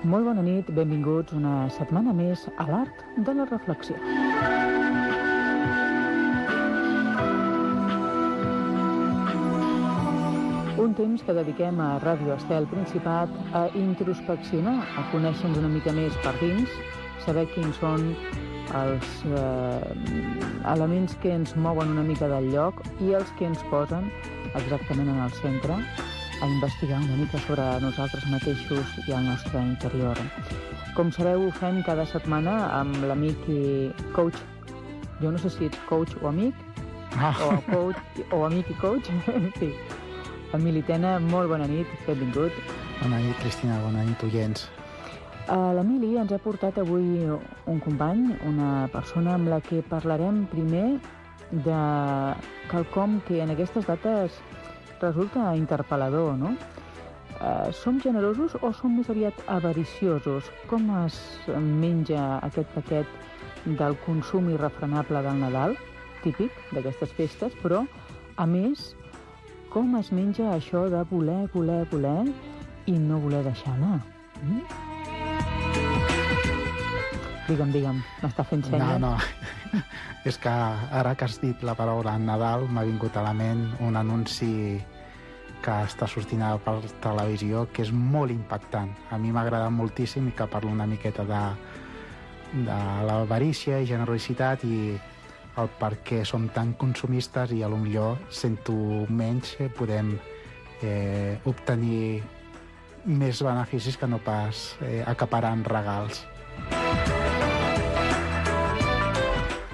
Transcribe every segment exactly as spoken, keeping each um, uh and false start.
Molt bona nit, benvinguts una setmana més a l'Art de la Reflexió. Un temps que dediquem a Ràdio Estel Principat a introspeccionar, a conèixer-nos una mica més per dins, saber quins són els eh, elements que ens mouen una mica del lloc i els que ens posen exactament en el centre, a investigar una mica sobre nosaltres mateixos i el nostre interior. Com sabeu, ho fem cada setmana amb l'amic i coach. Jo no sé si ets coach o amic, ah. o, coach, o amic i coach. En fi. Emili Tena, molt bona nit, benvingut. Bona nit, Cristina, bona nit, oients. Uh, L'Emili ens ha portat avui un company, una persona amb la que parlarem primer de quelcom que en aquestes dates resulta interpel·lador, no? Uh, som generosos o som més aviat avariciosos? Com es menja aquest paquet del consum irrefrenable del Nadal, típic d'aquestes festes, però, a més, com es menja això de voler, voler, voler i no voler deixar anar? Mm? Digue'm, digue'm, m'està fent senya? No, no, és que ara que has dit la paraula Nadal m'ha vingut a la ment un anunci que està sortint per televisió que és molt impactant. A mi m'ha agradat moltíssim i que parla una miqueta de, de l'avarícia i generositat i el per què som tan consumistes i potser sento menys eh, podem eh, obtenir més beneficis que no pas eh, acaparant regals.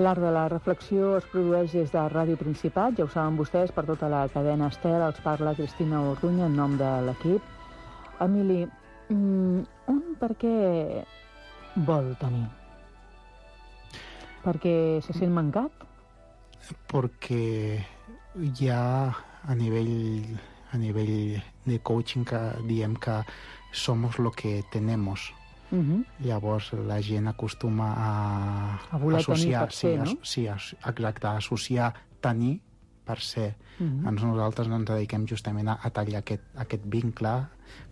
L'Art de la Reflexió es produeix des de Ràdio Principat, ja ho saben vostès, per tota la cadena Estel. Els parla Cristina Orduña en nom de l'equip. Emili, un per què vol tenir? Perquè se sent mancat? Perquè hi ha a nivell, a nivell de coaching que diem que somos lo que tenemos. Uh-huh. Llavors la gent acostuma a, a voler associar, tenir per ser, sí, no? A, sí, exacte, a associar tenir per ser. Uh-huh. Ens, nosaltres ens dediquem justament a, a tallar aquest, aquest vincle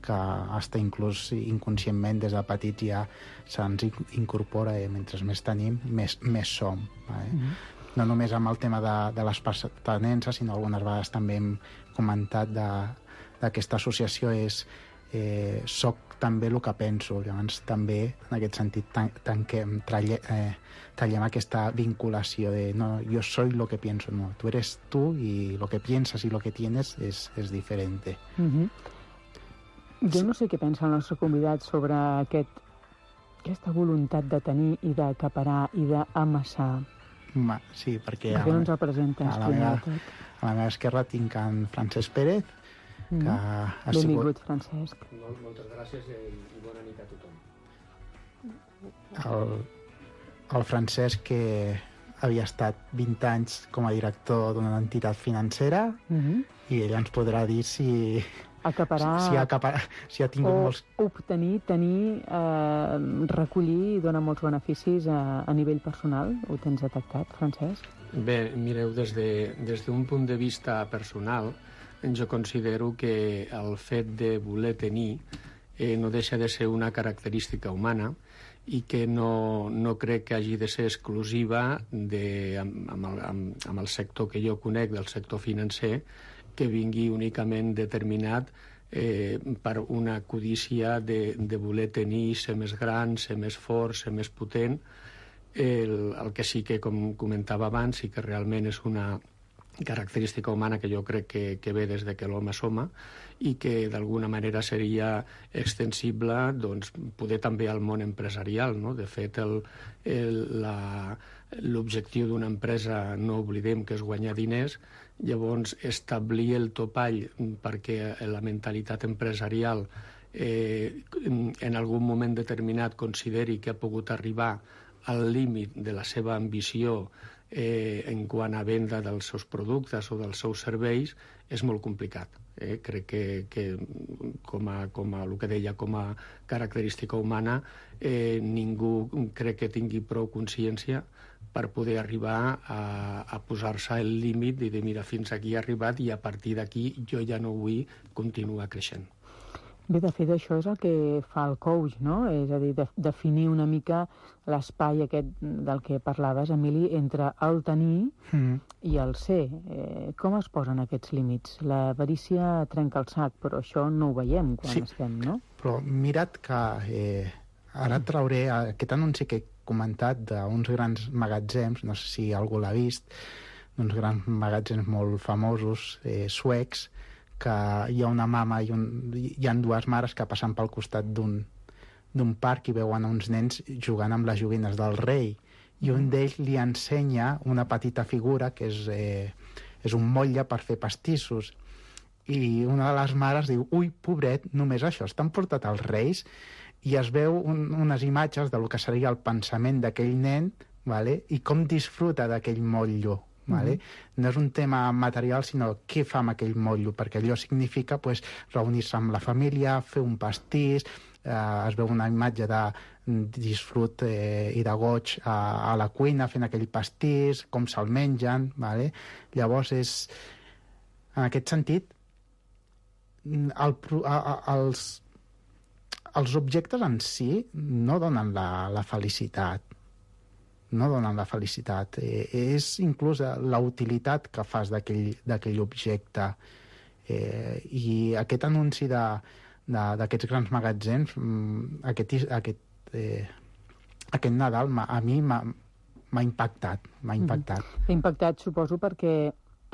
que hasta inclús inconscientment des de petits ja se'ns incorpora i mentre més tenim, més, més som. Eh? Uh-huh. No només amb el tema de, de les pertenences, sinó algunes vegades també hem comentat d'aquesta associació és eh, soc també el que penso, llavors també en aquest sentit tanquem, tralle, eh, tallem aquesta vinculació de no, yo soy lo que pienso, no, tú eres tú y lo que piensas y lo que tienes es, es diferente. Uh-huh. Jo no sé què pensa el nostre convidat sobre aquest, aquesta voluntat de tenir i d'acaparar i d'amassar. Ma, sí, perquè per què no ens el presentes? A la, meva, a la meva esquerra tinc en Francesc Pérez, que mm. ha Benvingut, sigut... Francesc. Mol, moltes gràcies i, i bona nit a tothom. El, el Francesc, que havia estat vint anys com a director d'una entitat financera, mm-hmm. i ell ens podrà dir si... Acaparar... Si, si, ha, acapar, si ha tingut o molts... obtenir, tenir, eh, recollir i donar molts beneficis a, a nivell personal. Ho tens detectat, Francesc? Bé, mireu, des de, des d'un punt de vista personal, jo considero que el fet de voler tenir eh, no deixa de ser una característica humana i que no, no crec que hagi de ser exclusiva de, amb, amb, el, amb, amb el sector que jo conec, del sector financer, que vingui únicament determinat eh, per una codícia de, de voler tenir, ser més gran, ser més fort, ser més potent. El, el que sí que, com comentava abans, sí que realment és una característica humana que jo crec que, que ve des de que l'home som i que d'alguna manera seria extensible, doncs, poder també al món empresarial, no? De fet, el, el, la, l'objectiu d'una empresa, no oblidem que és guanyar diners, llavors establir el topall perquè la mentalitat empresarial eh, en algun moment determinat consideri que ha pogut arribar al límit de la seva ambició eh, en quant a venda dels seus productes o dels seus serveis és molt complicat. Eh? Crec que, que com, a, com a el que deia, com a característica humana, eh, ningú crec que tingui prou consciència per poder arribar a, a posar-se el límit i dir, mira, fins aquí he arribat i a partir d'aquí jo ja no vull continuar creixent. Bé, de fet, això és el que fa el coach, no? És a dir, de, definir una mica l'espai aquest del que parlaves, Emili, entre el tenir mm. i el ser. Eh, com es posen aquests límits? L'avarícia trenca el sac, però això no ho veiem quan sí, estem, no? Però mira't que eh, ara et trauré aquest anunci que he comentat d'uns grans magatzems, no sé si algú l'ha vist, d'uns grans magatzems molt famosos, eh, suecs, que hi ha una mama i un, hi ha dues mares que passen pel costat d'un d'un parc i veuen uns nens jugant amb les joguines del rei, i un d'ells li ensenya una petita figura que és, eh, és un motlle per fer pastissos, i una de les mares diu, ui, pobret, només això estan portat als reis, i es veu un, unes imatges de lo que seria el pensament d'aquell nen, vale? I com disfruta d'aquell motllo. Vale? Mm-hmm. No és un tema material, sinó què fa amb aquell motllo, perquè allò significa pues, reunir-se amb la família, fer un pastís, eh, es veu una imatge de disfrut eh, i de goig a, a la cuina fent aquell pastís, com se'l mengen, vale? Llavors és, en aquest sentit, el, a, a, els, els objectes en si no donen la, la felicitat, no donen la felicitat. Eh, és inclús la utilitat que fas d'aquell objecte. Eh, I aquest anunci d'aquests grans magatzems, aquest, aquest, eh, aquest Nadal a mi m'ha impactat. M'ha impactat. Mm-hmm. T'ha impactat, suposo, perquè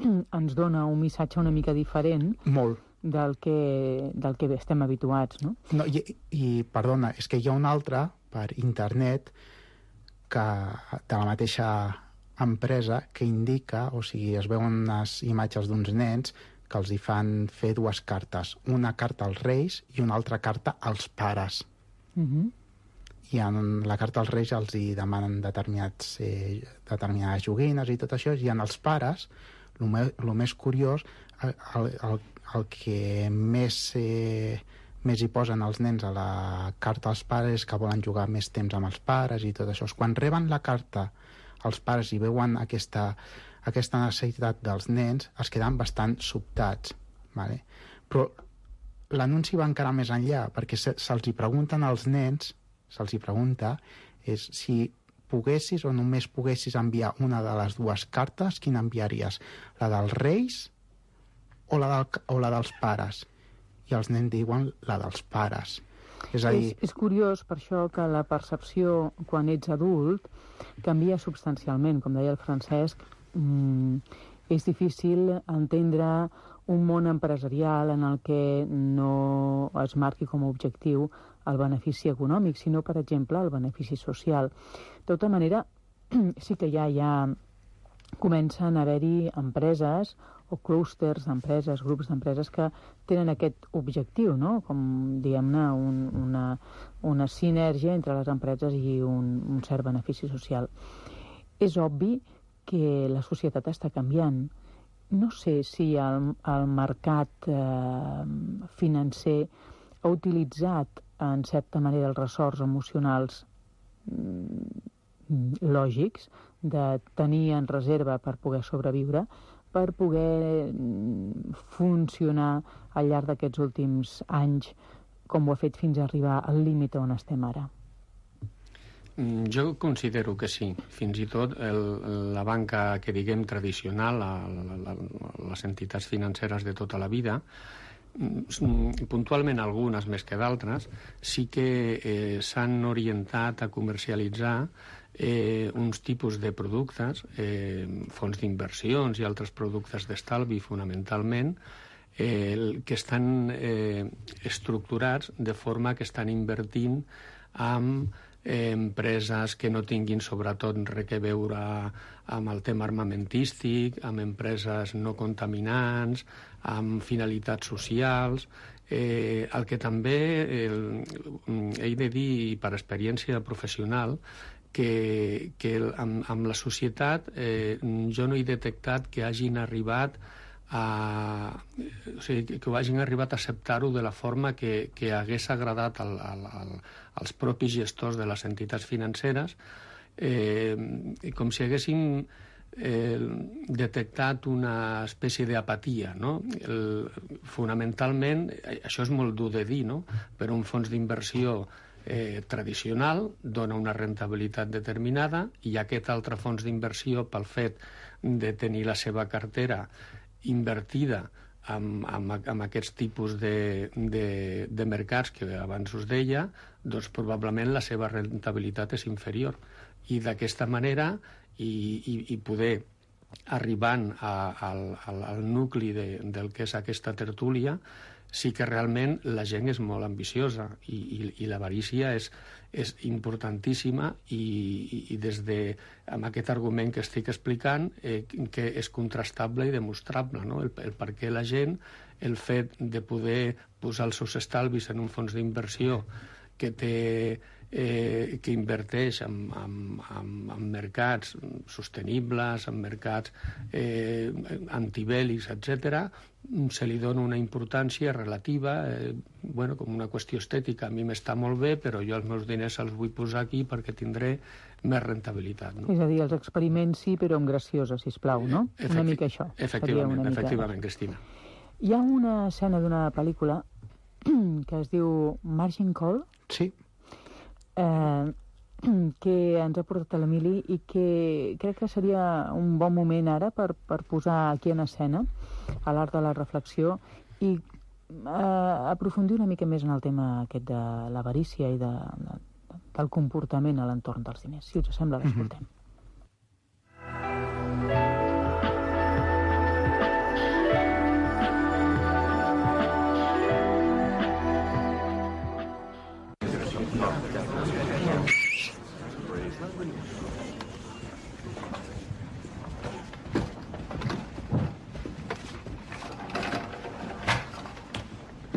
ens dona un missatge una mica diferent. Molt. Del que, del que estem habituats, no? No i, I, perdona, és que hi ha un altre per internet que de la mateixa empresa que indica, o sigui, es veuen unes imatges d'uns nens que els hi fan fer dues cartes, una carta als reis i una altra carta als pares. Uh-huh. I en la carta als reis els hi demanen determinats, eh, determinades joguines i tot això, i en els pares, el me, més curiós, el, el, el que més... Eh, més hi posen els nens a la carta als pares que volen jugar més temps amb els pares i tot això. Quan reben la carta els pares i veuen aquesta, aquesta necessitat dels nens, es queden bastant sobtats. Vale? Però l'anunci va encara més enllà, perquè se, se'ls hi pregunten als nens, se'ls hi pregunta és si poguessis o només poguessis enviar una de les dues cartes, quina enviaries? La dels reis o la, del, o la dels pares? I els nens diuen la dels pares. És a dir... És, és curiós per això que la percepció quan ets adult canvia substancialment. Com deia el Francesc, mmm, és difícil entendre un món empresarial en el que no es marqui com a objectiu el benefici econòmic, sinó, per exemple, el benefici social. De tota manera, sí que ja hi ha... comencen a haver-hi empreses o clústers d'empreses, grups d'empreses que tenen aquest objectiu, no? Com, diguem-ne, un, una, una sinergia entre les empreses i un, un cert benefici social. És obvi que la societat està canviant. No sé si el, el mercat eh, financer ha utilitzat, en certa manera, els ressorts emocionals mm, lògics de tenir en reserva per poder sobreviure, per poder funcionar al llarg d'aquests últims anys, com ho ha fet fins a arribar al límit on estem ara? Jo considero que sí. Fins i tot el, la banca, que diguem, tradicional, la, la, la, les entitats financeres de tota la vida, puntualment algunes més que d'altres, sí que eh, s'han orientat a comercialitzar eh, uns tipus de productes, eh, fons d'inversions i altres productes d'estalvi fonamentalment, eh, que estan eh, estructurats de forma que estan invertint amb eh, empreses que no tinguin sobretot res a veure amb el tema armamentístic, amb empreses no contaminants, amb finalitats socials. Eh, el que també eh, he de dir per experiència professional que, que amb, amb la societat eh, jo no he detectat que hagin arribat a, o sigui, que ho hagin arribat a acceptar-ho de la forma que, que hagués agradat al, al, al, als propis gestors de les entitats financeres, eh, com si haguessin eh, detectat una espècie d'apatia, no? El, fonamentalment, això és molt dur de dir, no? Per un fons d'inversió eh, tradicional dona una rentabilitat determinada i aquest altre fons d'inversió, pel fet de tenir la seva cartera invertida amb, amb, amb aquests tipus de, de, de mercats que abans us deia, doncs probablement la seva rentabilitat és inferior. I d'aquesta manera, i, i, i poder arribant a, al, al, al nucli de, del que és aquesta tertúlia, sí que realment la gent és molt ambiciosa i, i, i l'avarícia és, és importantíssima i, i, i des de, amb aquest argument que estic explicant, eh, que és contrastable i demostrable, no? el, el per què la gent, el fet de poder posar els seus estalvis en un fons d'inversió que té eh, que inverteix en, en, en, en mercats sostenibles, en mercats eh, antibèl·lics, etcètera, se li dona una importància relativa, eh, bueno, com una qüestió estètica. A mi m'està molt bé, però jo els meus diners els vull posar aquí perquè tindré més rentabilitat. No? És a dir, els experiments sí, però amb graciosa, sisplau, no? Efecti una mica això. Efectivament, una efectivament, mica... Cristina. Hi ha una escena d'una pel·lícula que es diu Margin Call. Sí. Eh, que ens ha portat a l'Emili i que crec que seria un bon moment ara per, per posar aquí en escena a l'art de la reflexió i eh, aprofundir una mica més en el tema aquest de l'avarícia i de, de, del comportament a l'entorn dels diners. Si us sembla, l'escoltem. Mm-hmm.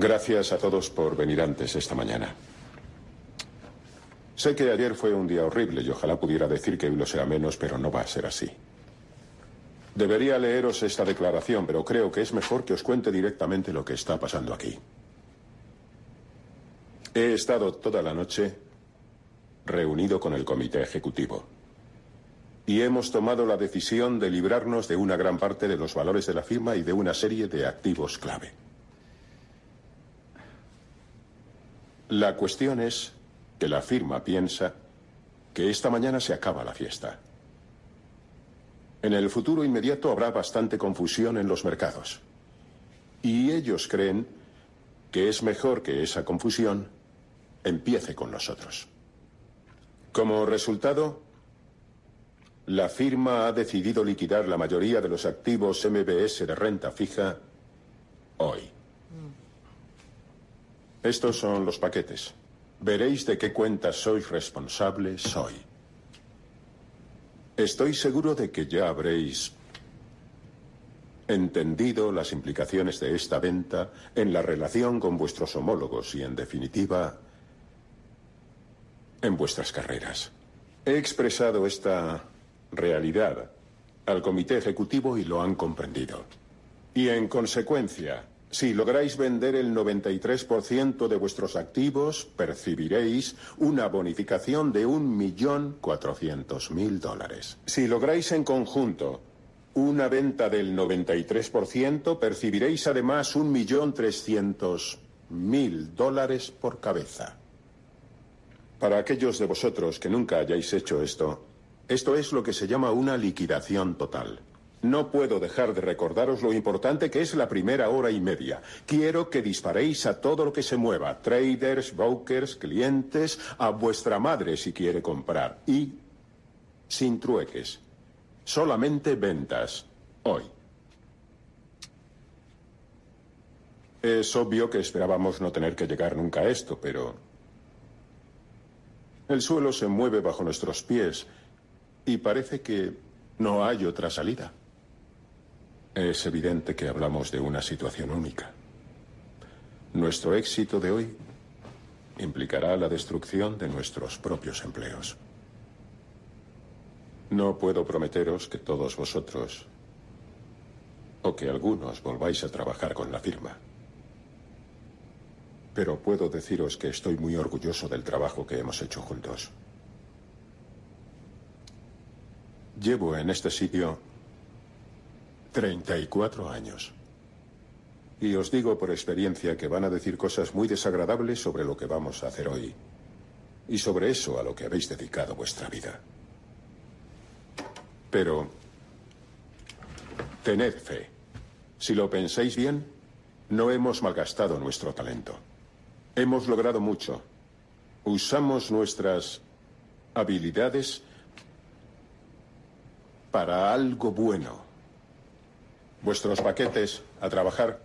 Gracias a todos por venir antes esta mañana. Sé que ayer fue un día horrible y ojalá pudiera decir que hoy lo será menos, pero no va a ser así. Debería leeros esta declaración, pero creo que es mejor que os cuente directamente lo que está pasando aquí. He estado toda la noche reunido con el comité ejecutivo y hemos tomado la decisión de librarnos de una gran parte de los valores de la firma y de una serie de activos clave. La cuestión es que la firma piensa que esta mañana se acaba la fiesta. En el futuro inmediato habrá bastante confusión en los mercados. Y ellos creen que es mejor que esa confusión empiece con nosotros. Como resultado, la firma ha decidido liquidar la mayoría de los activos M B S de renta fija hoy. Estos son los paquetes. Veréis de qué cuentas sois responsables hoy. Estoy seguro de que ya habréis entendido las implicaciones de esta venta en la relación con vuestros homólogos y, en definitiva, en vuestras carreras. He expresado esta realidad al comité ejecutivo y lo han comprendido. Y, en consecuencia, si lográis vender el noventa y tres por ciento de vuestros activos, percibiréis una bonificación de un millón cuatrocientos mil dólares. Si lográis en conjunto una venta del noventa y tres por ciento, percibiréis además un millón trescientos mil dólares por cabeza. Para aquellos de vosotros que nunca hayáis hecho esto, esto es lo que se llama una liquidación total. No puedo dejar de recordaros lo importante que es la primera hora y media. Quiero que disparéis a todo lo que se mueva. Traders, brokers, clientes, a vuestra madre si quiere comprar. Y sin trueques. Solamente ventas. Hoy. Es obvio que esperábamos no tener que llegar nunca a esto, pero el suelo se mueve bajo nuestros pies y parece que no hay otra salida. Es evidente que hablamos de una situación única. Nuestro éxito de hoy implicará la destrucción de nuestros propios empleos. No puedo prometeros que todos vosotros o que algunos volváis a trabajar con la firma. Pero puedo deciros que estoy muy orgulloso del trabajo que hemos hecho juntos. Llevo en este sitio treinta y cuatro años. Y os digo por experiencia que van a decir cosas muy desagradables sobre lo que vamos a hacer hoy. Y sobre eso a lo que habéis dedicado vuestra vida. Pero tened fe. Si lo pensáis bien, no hemos malgastado nuestro talento. Hemos logrado mucho. Usamos nuestras habilidades para algo bueno. Vuestros paquetes, a trabajar.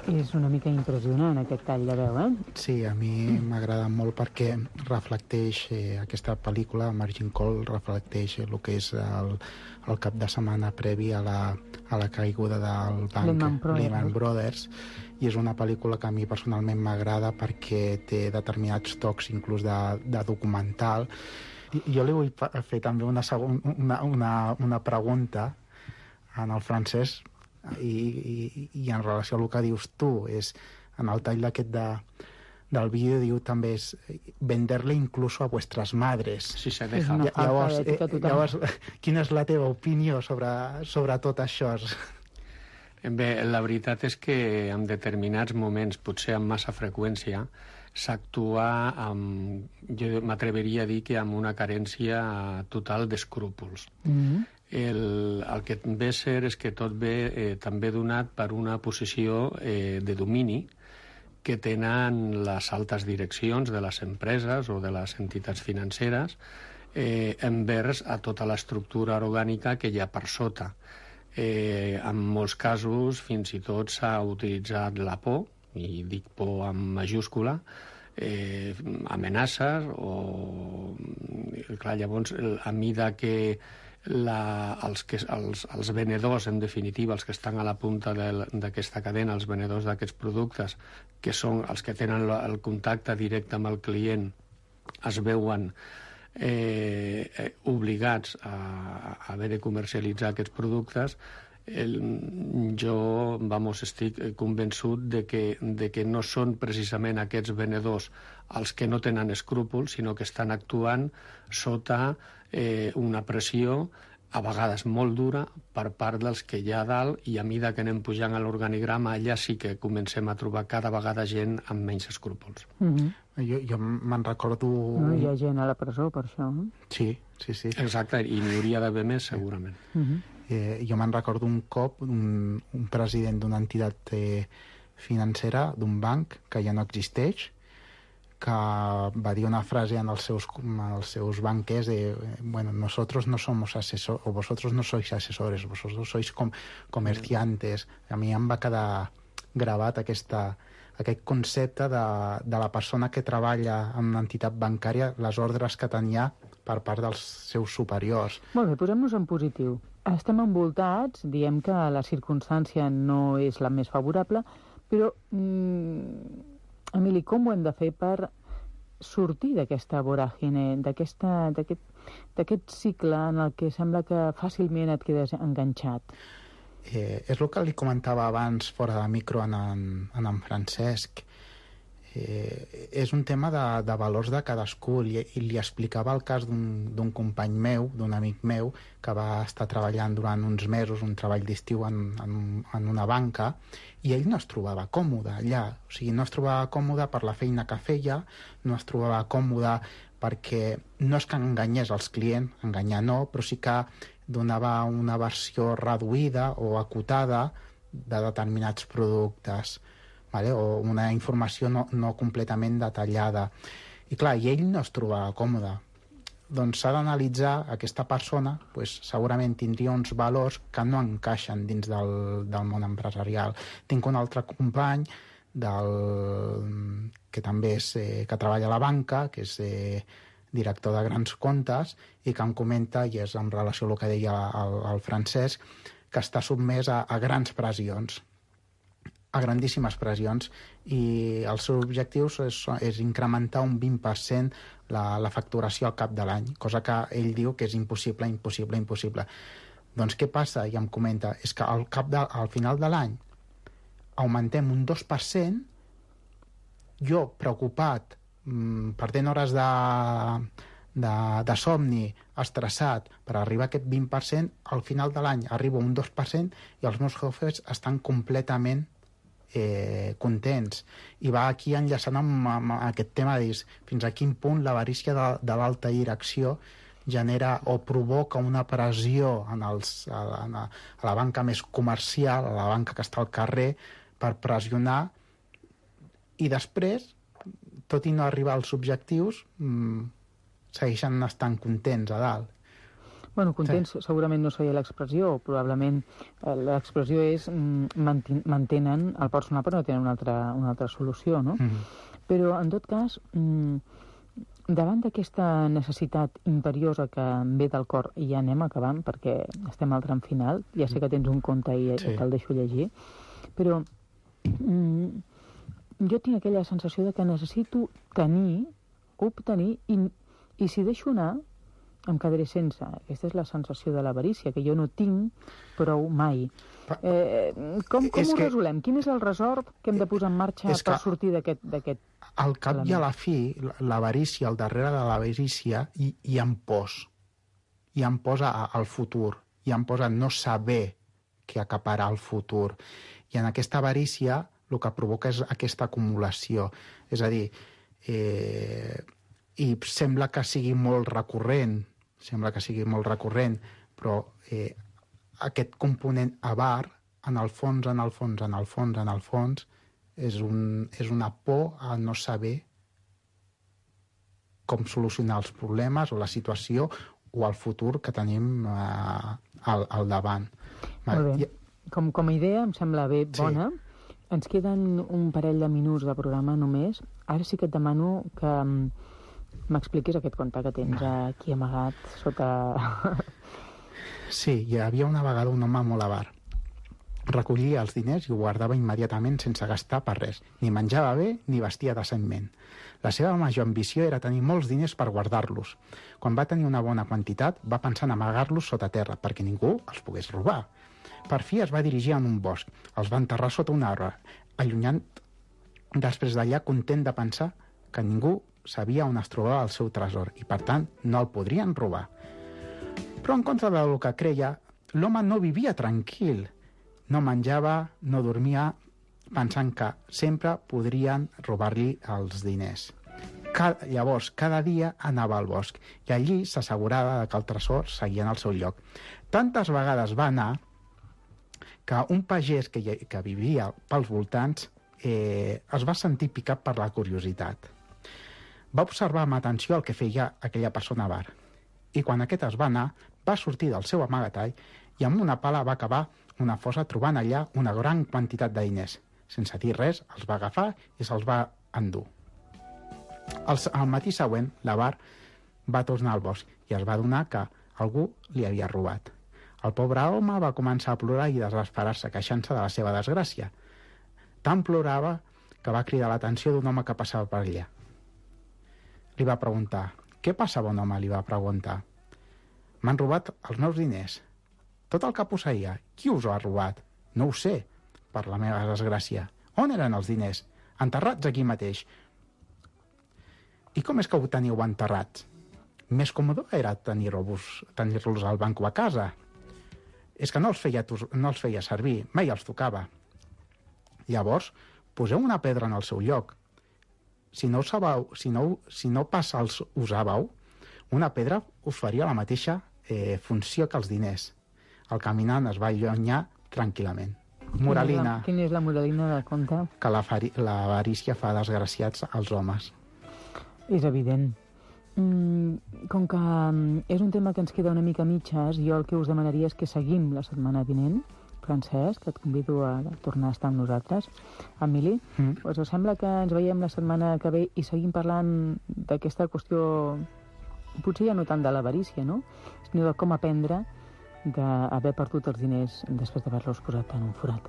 És una mica impressionant aquest tall de veu, eh? Sí, a mi m'agrada molt perquè reflecteix eh, aquesta pel·lícula, Margin Call, reflecteix el que és el, el cap de setmana previ a la, a la caiguda del banc Lehman Brothers. Lehman Brothers, i és una pel·lícula que a mi personalment m'agrada perquè té determinats tocs inclús de, de documental. I, jo li vull fer també una, segon, una, una, una pregunta en el francès, I, i, i en relació a el que dius tu, és en el tall d'aquest de, del vídeo diu també és venderle incluso a vuestras madres. Si se deja. una falta Llavors, d'ètica eh, total. llavors, quina és la teva opinió sobre, sobre tot això? Bé, la veritat és que en determinats moments, potser amb massa freqüència, s'actua amb, jo m'atreveria a dir que amb una carència total d'escrúpols. Mm-hmm. El, el que ve a ser és que tot ve eh, també donat per una posició eh, de domini que tenen les altes direccions de les empreses o de les entitats financeres eh, envers a tota l'estructura orgànica que hi ha per sota. Eh, en molts casos fins i tot s'ha utilitzat la por, i dic por amb majúscula, eh, amenaces o... Clar, llavors, a mida que La, els, que, els, els venedors, en definitiva, els que estan a la punta d'aquesta cadena, els venedors d'aquests productes, que són els que tenen el contacte directe amb el client, es veuen eh, eh, obligats a, a haver de comercialitzar aquests productes. El, jo, vamos, estic convençut de que, de que no són precisament aquests venedors els que no tenen escrúpols, sinó que estan actuant sota eh, una pressió a vegades molt dura per part dels que hi ha a dalt, i a mida que anem pujant a l'organigrama allà sí que comencem a trobar cada vegada gent amb menys escrúpols. Mm-hmm. Jo, jo me'n recordo... No, hi ha gent a la presó per això. Eh? Sí, sí, sí. Exacte, i n'hi hauria d'haver més segurament. Mm-hmm. Eh, jo me'n recordo un cop un, un president d'una entitat eh, financera, d'un banc que ja no existeix, que va dir una frase en els seus, els seus banquers de, bueno, nosotros no somos asesores, o vosotros no sois asesores, vosotros sois com, comerciantes. A mi em va quedar gravat aquesta, aquest concepte de, de la persona que treballa en una entitat bancària, les ordres que tenia per part dels seus superiors. Molt bé, posem-nos en positiu. Estem envoltats, diem que la circumstància no és la més favorable, però, mm, Emili, com ho hem de fer per sortir d'aquesta voràgine, d'aquest cicle en el que sembla que fàcilment et quedes enganxat? Eh, és el que li comentava abans fora de micro en en, en, en Francesc. Eh, és un tema de, de valors de cadascú, i, i li explicava el cas d'un company meu, d'un amic meu, que va estar treballant durant uns mesos, un treball d'estiu en, en, en una banca, i ell no es trobava còmode allà. O sigui, no es trobava còmode per la feina que feia, no es trobava còmode perquè no és que enganyés els clients, enganyar no, però sí que donava una versió reduïda o acotada de determinats productes, vale? O una informació no, no completament detallada. I clar, i ell no es trobava còmode. Doncs s'ha d'analitzar aquesta persona, pues, segurament tindria uns valors que no encaixen dins del, del món empresarial. Tinc un altre company del, que també és, eh, que treballa a la banca, que és eh, director de grans comptes, i que em comenta, i és en relació al que deia el, el Francesc, que està sotmès a, a grans pressions, a grandíssimes pressions, i els seus objectius és, és incrementar un vint per cent la, la facturació al cap de l'any, cosa que ell diu que és impossible, impossible, impossible. Doncs què passa? I em comenta, és que al, cap de, al final de l'any augmentem un dos per cent, jo preocupat, mmm, perdent hores de, de, de somni estressat per arribar a aquest vint per cent, al final de l'any arribo a un dos per cent i els meus jefes estan completament eh, contents. I va aquí enllaçant amb, amb aquest tema de dir fins a quin punt l'avarícia de, de l'alta direcció genera o provoca una pressió en els, a, a, a la banca més comercial, a la banca que està al carrer, per pressionar, i després, tot i no arribar als objectius, mmm, segueixen estant contents a dalt. Bueno, contents sí. Segurament no seria l'expressió, probablement eh, l'expressió és mm, mantenen el personal però no tenen una altra, una altra solució, no? Mm-hmm. Però, en tot cas, mm, davant d'aquesta necessitat imperiosa que em ve del cor, i ja anem acabant perquè estem al tram final, ja sé que tens un conte i sí. Te'l deixo llegir, però mm, jo tinc aquella sensació de que necessito tenir, obtenir, i, i si deixo anar, em quedaré sense. Aquesta és la sensació de l'avarícia, que jo no tinc prou mai. Eh, com com ho resolem? Quin és el resort que hem de posar en marxa per sortir d'aquest al cap element? I a la fi, l'avarícia, al darrere de l'avarícia, hi, hi ha pors. Hi ha pors al futur. Hi ha pors a no saber què acaparà el futur. I en aquesta avarícia el que provoca és aquesta acumulació. És a dir, eh, i sembla que sigui molt recurrent, sembla que sigui molt recurrent, però eh, aquest component avar, en el fons, en el fons, en el fons, en el fons, és, un, és una por a no saber com solucionar els problemes o la situació o el futur que tenim eh, al, al davant. Molt bé. Com, com a idea em sembla bé, bona. Sí. Ens queden un parell de minuts de programa només. Ara sí que et demano que m'expliquis aquest conte que tens aquí amagat sota... Sí, hi havia una vegada un home molt avar. Recollia els diners i ho guardava immediatament sense gastar per res. Ni menjava bé ni vestia decentment. La seva major ambició era tenir molts diners per guardar-los. Quan va tenir una bona quantitat, va pensar en amagar-los sota terra perquè ningú els pogués robar. Per fi es va dirigir a un bosc. Els va enterrar sota un arbre, allunyant després d'allà content de pensar que ningú sabia on es trobava el seu tresor i, per tant, no el podrien robar. Però, en contra del que creia, l'home no vivia tranquil. No menjava, no dormia, pensant que sempre podrien robar-li els diners. Cada, llavors, cada dia anava al bosc i allí s'assegurava que el tresor seguia en el seu lloc. Tantes vegades va anar que un pagès que, que vivia pels voltants eh, es va sentir picat per la curiositat. Va observar amb atenció el que feia aquella persona avar. I quan aquest es va anar, va sortir del seu amagatall i amb una pala va cavar una fossa trobant allà una gran quantitat de diners. Sense dir res, els va agafar i se'ls va endur. El, el matí següent, l'avar va tornar al bosc i es va adonar que algú li havia robat. El pobre home va començar a plorar i desesperar-se, queixant-se de la seva desgràcia. Tant plorava que va cridar l'atenció d'un home que passava per allà. Li va preguntar: «Què passa, bon home?», li va preguntar. «M'han robat els meus diners. Tot el que posseïa. Qui us ho ha robat?» «No ho sé, per la meva desgràcia». «On eren els diners?» «Enterrats aquí mateix». «I com és que ho teniu enterrats?» «Més còmode era tenir-los tenir-los al banc o a casa. És que no els, feia, no els feia servir, mai els tocava. Llavors, poseu una pedra en el seu lloc. Si no, sabeu, si no, si no pas els usàveu, una pedra us faria la mateixa eh, funció que els diners». El caminant es va allunyar tranquil·lament. Moralina. Quina és la, quina és la moralina del conte? Que l'avarícia fa desgraciats als homes. És evident. Mm, com que mm, és un tema que ens queda una mica a mitges, jo el que us demanaria és que seguim la setmana vinent. Francesc, et convido a tornar a estar amb nosaltres. Emili, mm. us sembla que ens veiem la setmana que ve i seguim parlant d'aquesta qüestió, potser ja no tant de l'avarícia, no?, sinó de com aprendre d'haver perdut els diners després d'haver-los posat en un forat.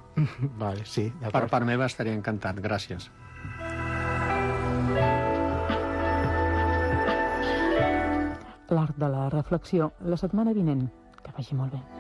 Vale, sí. Per part meva estaria encantat. Gràcies. L'art de la reflexió, la setmana vinent. Que vagi molt bé.